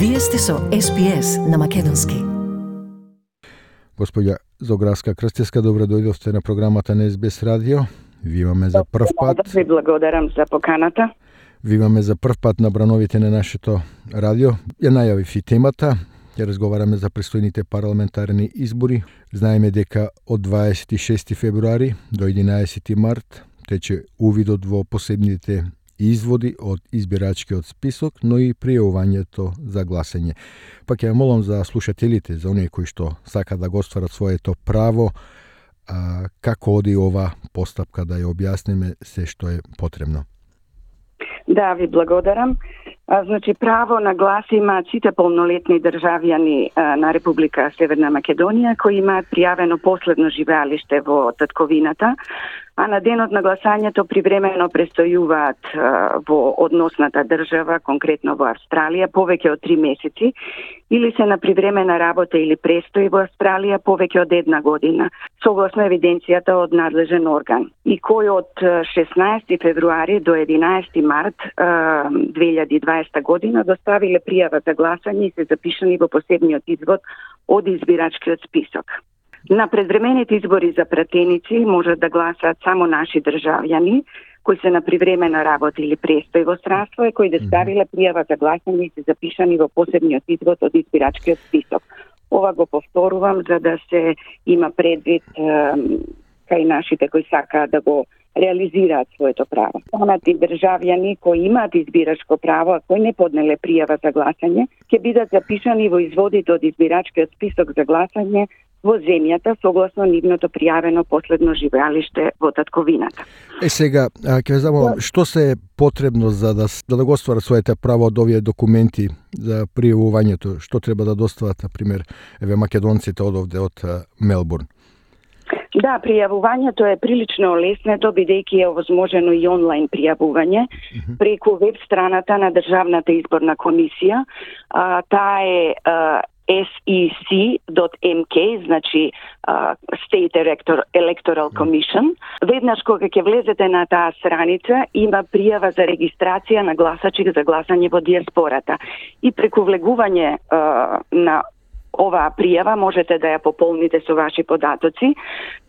Вие сте со SPS на македонски. Господја Зограска Крстевска, добро дојдовте на програмата на SBS радио. Ви имаме за прв пат. Ви благодарам за поканата. Ви имаме за прв пат на брановите на нашето радио. Ја најавив и темата. Ќе разговараме за престојните парламентарни избори. Знаеме дека од 26 февруари до 11 март тече увидот во посебните изводи од избирачкиот список, но и пријавувањето за гласање. Па ќе ја молам за слушателите, за оние кои што сака да го остварат своето право, како оди ова постапка, да ја објасниме се што е потребно. Да, ви благодарам. Значи, право на глас имаат сите полнолетни државјани на Република Северна Македонија кои имаат пријавено последно живеалиште во татковината, а на денот на гласањето привремено престојуваат во односната држава, конкретно во Австралија, повеќе од 3 месеци, или се на привремена работа или престој во Австралија повеќе од 1 година, согласно евиденцијата од надлежен орган. И кои од 16 февруари до 11 март 2020 година доставиле пријава за гласање и се запишани во посебниот извод од избирачкиот список. На предвремените избори за пратеници можат да гласаат само наши државјани кои се на привремена работа или престој во странство и кои доставиле пријава за гласање и се запишани во посебниот извод од избирачкиот список. Ова го повторувам за да се има предвид кај нашите кои сакаат да го реализираат своето право. Останати државјани кои имаат избирачко право, а кои не поднеле пријава за гласање, ќе бидат запишани во изводите од избирачкиот список за гласање во земјата согласно нивното пријавено последно живеалиште во татковината. Сега, ќе замолам, што се е потребно за да го остварат своите право од овие документи за пријавувањето? Што треба да достават, например, македонците одовде од Мелбурн? Да, пријавувањето е прилично леснето, бидејќи е овозможено и онлайн пријавување преку веб страната на Државната изборна комисија. Таа е sec.mk, значи State Electoral Commission. Веднаш кога ќе влезете на таа страница, има пријава за регистрација на гласачи за гласање во диаспората. И преку влегување на оваа пријава можете да ја пополните со ваши податоци.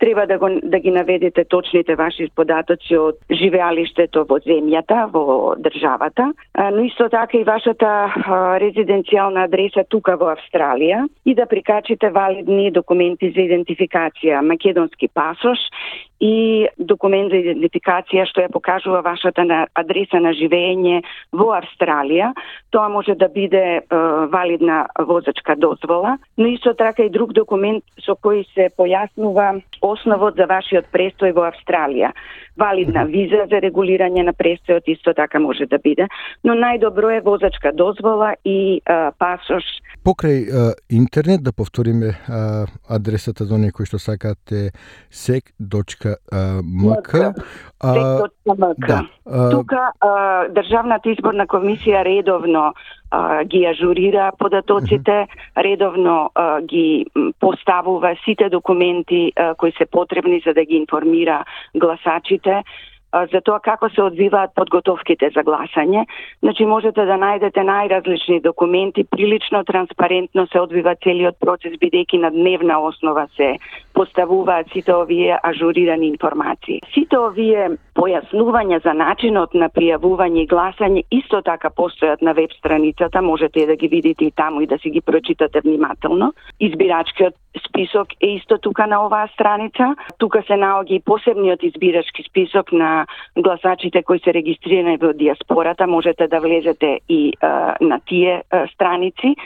Треба да ги наведете точните ваши податоци од живеалиштето во земјата, во државата, но исто така и вашата резиденцијална адреса тука во Австралија и да прикачите валидни документи за идентификација, македонски пасош и документ за идентификација што ја покажува вашата адреса на живење во Австралија. Тоа може да биде валидна возачка дозвола, но исто така и друг документ со кој се појаснува основот за вашиот престој во Австралија. Валидна виза за регулирање на престојот исто така може да биде, но најдобро е возачка дозвола и пасош. Покрај интернет, да повториме адресата за некои што сакате, sec.mk. Да. Тука Државната изборна комисија редовно ги ажурира податоците, редовно ги поставува сите документи кои се потребни за да ги информира гласачите за тоа како се одвиваат подготовките за гласање. Значи можете да најдете најразлични документи, прилично транспарентно се одвива целиот процес, бидејќи на дневна основа се поставуваат сите овие ажурирани информации. Сите овие појаснувања за начинот на пријавување и гласање исто така постојат на веб страницата, можете да ги видите и таму и да си ги прочитате внимателно. Избирачкиот список е исто тука на оваа страница. Тука се наоѓа и посебниот избирачки список на гласачите кои се регистрирани во диаспората, можете да влезете и на тие страници,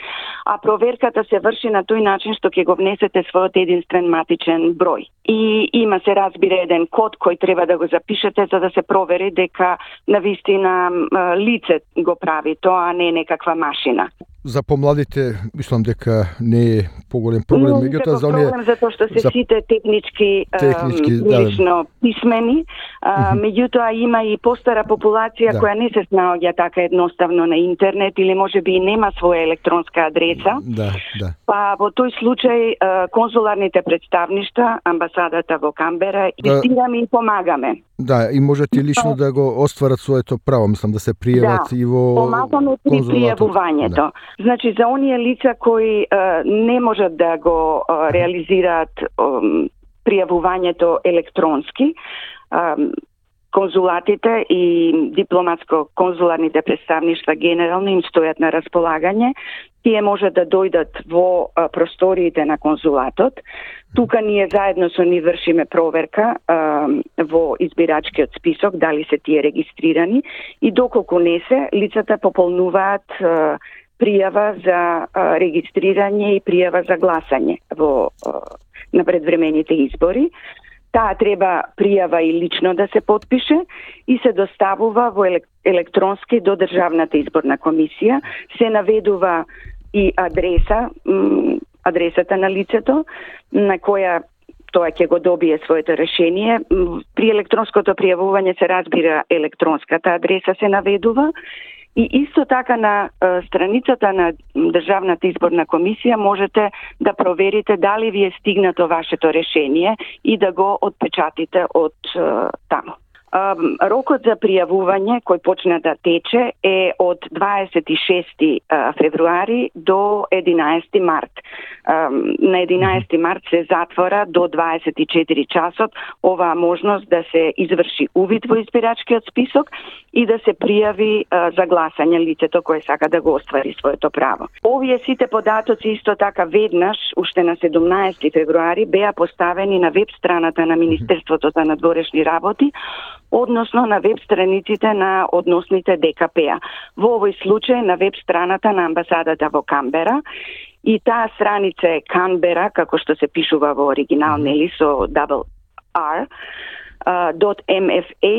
а проверката се врши на тој начин што ќе го внесете својот единствен матичен број. И има се разбира еден код кој треба да го запишете за да се провери дека навистина лице го прави тоа, а не некаква машина. За помладите, мислам дека не е поголем проблем, меѓутоа за оние проблем затоа што се сите технички прилично писмени, меѓутоа има и постара популација која не се снаоѓа така едноставно на интернет или можеби и нема своја електронска адреса. Па во тој случај конзуларните представништва, амбасадата во Камбера, инвестираме и помагаме. Да, и можат и лично да го остварат своето право, мислам да се пријават и во помагаме при пријавувањето. Да. Значи за оние лица кои не можат да го реализираат пријавувањето електронски, конзулатите и дипломатско-конзуларните представништва генерално им стојат на располагање. Тие може да дојдат во просториите на конзулатот. Тука ние заедно со нив вршиме проверка во избирачкиот список, дали се тие регистрирани и доколку не се, лицата пополнуваат пријава за регистрирање и пријава за гласање на предвремените избори. Таа треба пријава и лично да се потпише и се доставува во електронски до Државната изборна комисија. Се наведува и адресата на лицето на која тоа ќе го добие своето решение. При електронското пријавување се разбира електронската адреса се наведува. И исто така на страницата на Државната изборна комисија можете да проверите дали ви е стигнато вашето решение и да го отпечатите од таму. Рокот за пријавување кој почна да тече е од 26 февруари до 11 март. На 11 март се затвора до 24 часот оваа можност да се изврши увид во избирачкиот список и да се пријави за гласање лицето кое сака да го оствари своето право. Овие сите податоци исто така веднаш, уште на 17 февруари, беа поставени на веб страната на Министерството за надворешни работи, односно на веб страниците на односните ДКП-а. Во овој случај на веб страната на амбасадата во Канбера, и таа страница е Canberra, како што се пишува во оригинал, нели, со double R, .mfa.gov.mk.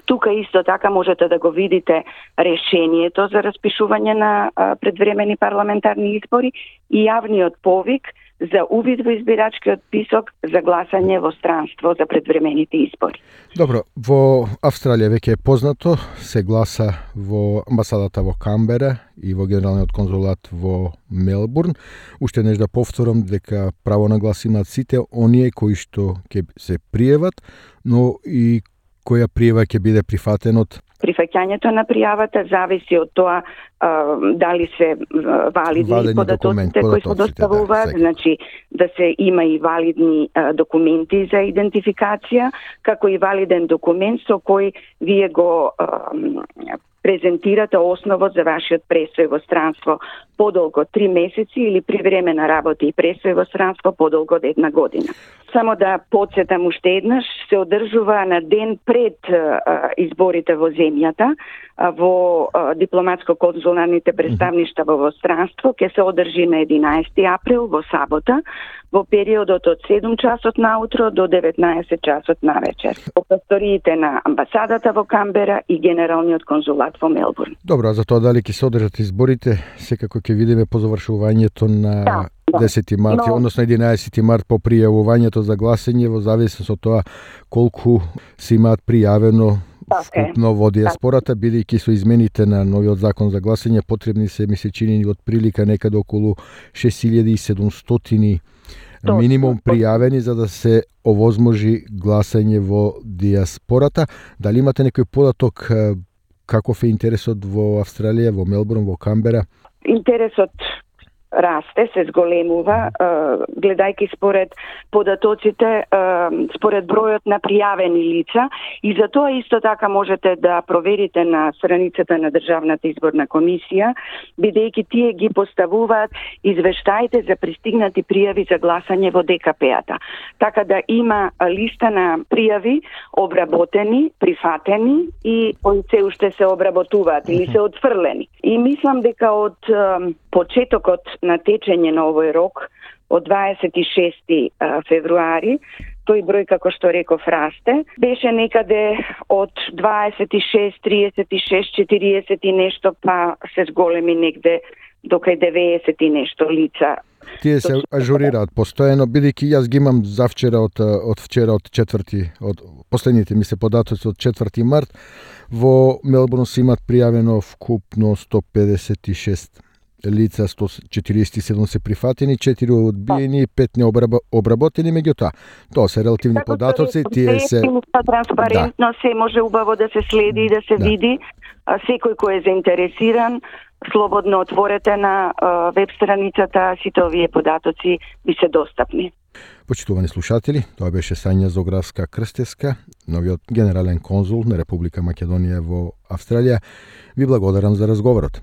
Тука исто така можете да го видите решението за распишување на предвремени парламентарни избори и јавниот повик за увид во избирачкиот список за гласање во странство за предвремените избори. Добро, во Австралија веќе е познато, се гласа во амбасадата во Канбера и во Генералниот конзулат во Мелбурн. Уште нешто да повторам дека право на глас имаат сите оние кои што ќе се пријават, но и која пријава ќе биде прифатен од Прифаќањето на пријавата зависи од тоа дали се валидни податоците кои се доставуваат, значи да се има и валидни документи за идентификација, како и валиден документ со кој вие го презентирате основот за вашиот престој во странство подолго 3 месеци или привремена работа и престој во странство подолго од 1 година. Само да потсетам уште еднаш, се одржува на ден пред изборите во земјата, во дипломатско-конзуларните представништва во странство, ќе се одржи на 11 април во сабота, во периодот од 7 часот наутро до 19 часот навечер. Во просториите на амбасадата во Канбера и Генералниот конзулат во Мелбурн. Добро, за тоа дали ќе се одржат изборите, секако ќе видиме по завршувањето на 10 март, односно 11 март по пријавувањето за гласање во зависност од тоа колку се имаат пријавено вкупно во диаспората, бидејќи со измените на новиот закон за гласање потребни се, ми се чини, од прилика некаде околу 6700 минимум пријавени за да се овозможи гласање во диаспората. Дали имате некој податок каков е интересот во Австралија, во Мелбурн, во Канбера? Интересот расте, се зголемува, гледајќи според податоците, според бројот на пријавени лица, и за тоа исто така можете да проверите на страницата на Државната изборна комисија, бидејќи тие ги поставуваат извештаите за пристигнати пријави за гласање во ДКП-ата. Така да има листа на пријави обработени, прифатени и кои се уште се обработуваат или се отфрлени. И мислам дека од почетокот на течење на овој рок, од 26 февруари, тој број, како што реков, расте. Беше некаде од 26, 36, 40 и нешто, па се зголеми негде до кај 90 и нешто лица. Тие се ажурираат постојано, бидејќи јас ги имам завчера од вчера од 4, од последните ми се податоци од 4 март, во Мелбурн се имат пријавено вкупно 156 лица, 147 се прифатени, 4 одбиени, 5 необработени, меѓутоа тоа се релативни податоци, тие се транспарентно, се може убаво да се следи и да се види. Секој кој е заинтересиран, слободно отворете на веб страницата, сите овие податоци би се достапни. Почитувани слушатели, тоа беше Сања Зографска Крстевска, новиот генерален конзул на Република Македонија во Австралија. Ви благодарам за разговорот.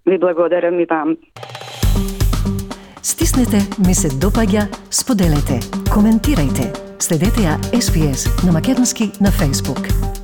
Ви благодарам и вам. Стиснете, ми се допаѓа, споделете, коментирајте. Следете ја SPS на македонски на Facebook.